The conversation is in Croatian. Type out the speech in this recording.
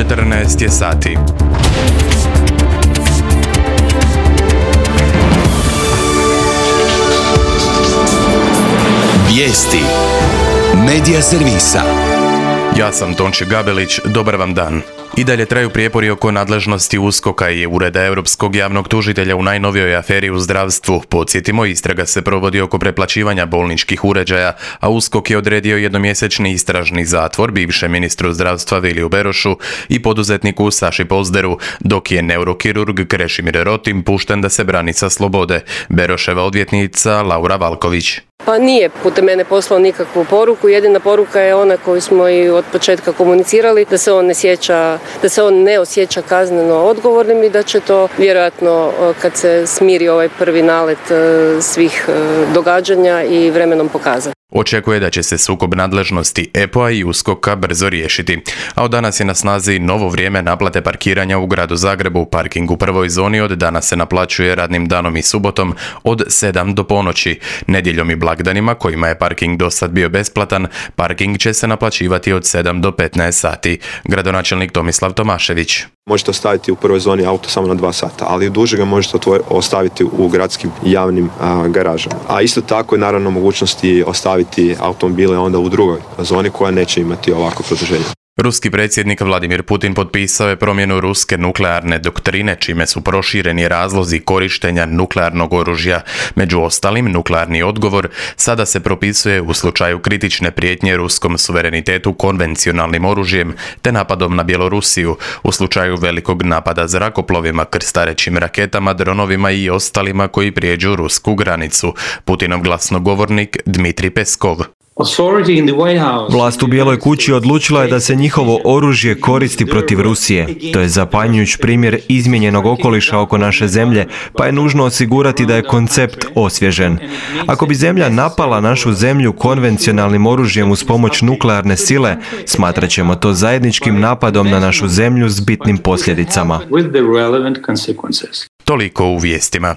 14 je sati. Vijesti Medija servisa. Ja sam Tonči Gabelić, dobar vam dan. I dalje traju prijepori oko nadležnosti USKOK-a i Ureda Europskog javnog tužitelja u najnovijoj aferi u zdravstvu. Podsjetimo, istraga se provodi oko preplaćivanja bolničkih uređaja, a USKOK je odredio jednomjesečni istražni zatvor bivšem ministru zdravstva Viliju Berošu i poduzetniku Saši Pozderu, dok je neurokirurg Krešimir Rotim pušten da se brani sa slobode. Beroševa odvjetnica Laura Valković. Pa nije putem mene poslao nikakvu poruku, jedina poruka je ona koju smo i od početka komunicirali, da se on ne osjeća kazneno odgovornim i da će to vjerojatno kad se smiri ovaj prvi nalet svih događanja i vremenom pokazati. Očekuje da će se sukob nadležnosti EPO-a i USKOK-a brzo riješiti. A od danas je na snazi novo vrijeme naplate parkiranja u gradu Zagrebu. Parking u prvoj zoni od danas se naplaćuje radnim danom i subotom od 7 do ponoći. Nedjeljom i blagdanima, kojima je parking dosad bio besplatan, parking će se naplaćivati od 7 do 15 sati. Gradonačelnik Tomislav Tomašević. Možete ostaviti u prvoj zoni auto samo na 2 sata, ali duže ga možete ostaviti u gradskim javnim garažama. A isto tako je naravno mogućnosti ostaviti automobile onda u drugoj zoni koja neće imati ovako produženje. Ruski predsjednik Vladimir Putin potpisao je promjenu ruske nuklearne doktrine, čime su prošireni razlozi korištenja nuklearnog oružja. Među ostalim, nuklearni odgovor sada se propisuje u slučaju kritične prijetnje ruskom suverenitetu konvencionalnim oružjem te napadom na Bjelorusiju, u slučaju velikog napada zrakoplovima, krstarećim raketama, dronovima i ostalima koji prijeđu rusku granicu. Putinov glasnogovornik Dmitri Peskov. Vlast u Bijeloj kući odlučila je da se njihovo oružje koristi protiv Rusije. To je zapanjujuć primjer izmijenjenog okoliša oko naše zemlje, pa je nužno osigurati da je koncept osvježen. Ako bi zemlja napala našu zemlju konvencionalnim oružjem uz pomoć nuklearne sile, smatrat ćemo to zajedničkim napadom na našu zemlju s bitnim posljedicama. Toliko u vijestima.